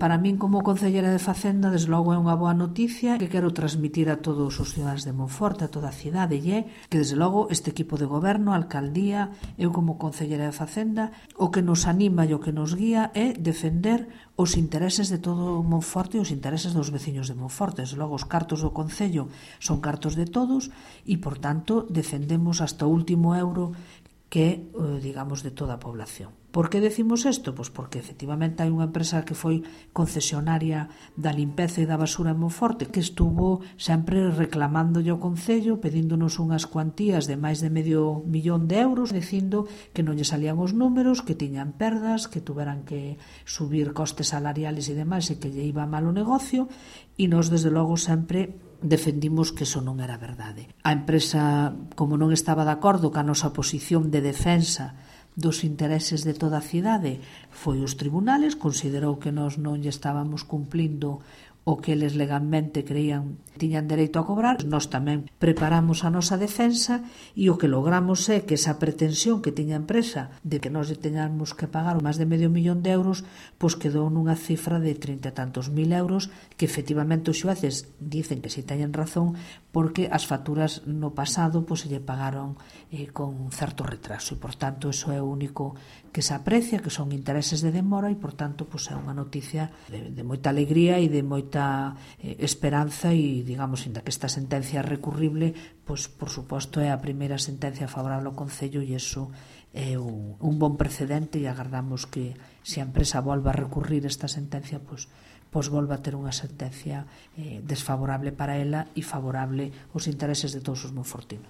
Para min, como concellera de Facenda, desde logo é unha boa noticia que quero transmitir a todos os ciudadanos de Monforte, a toda a cidade, e é que, desde logo, este equipo de goberno, a alcaldía, eu como concellera de Facenda, o que nos anima e o que nos guía é defender os intereses de todo Monforte e os intereses dos veciños de Monforte. Desde logo, os cartos do Concello son cartos de todos e, por tanto, defendemos hasta o último euro que é, digamos, de toda a población. Por que decimos isto? Pois porque efectivamente hai unha empresa que foi concesionaria da limpeza e da basura en Monforte que estuvo sempre reclamándolle ao Concello, pedíndonos unhas cuantías de máis de €500.000, dicindo que non lle salían os números, que tiñan perdas, que tuveran que subir costes salariales e demais e que lle iba mal o negocio, e nós desde logo sempre defendimos que eso non era verdade. A empresa, como non estaba de acordo ca nosa posición de defensa dos intereses de toda a cidade, foi os tribunales, considerou que nós non lle estábamos cumplindo o que eles legalmente creían tiñan dereito a cobrar. Nós tamén preparamos a nosa defensa e o que logramos é que esa pretensión que tiña a empresa de que nós lle teñamos que pagar máis de €500.000, pois quedou nunha cifra de 30 e tantos mil euros, que efectivamente os xueces dicen que si teñen razón, porque as facturas no pasado pois se lle pagaron con certo retraso, e por tanto eso é o único que se aprecia, que son intereses de demora, e por tanto pois é unha noticia de moita alegría e de moita esperanza, e digamos, inda que esta sentencia é recurrible, pois por suposto é a primeira sentencia favorable ao Concello, e iso é un bon precedente, e agardamos que se a empresa volva a recurrir esta sentencia, pois volva a ter unha sentencia desfavorable para ela e favorable aos intereses de todos os monfortinos.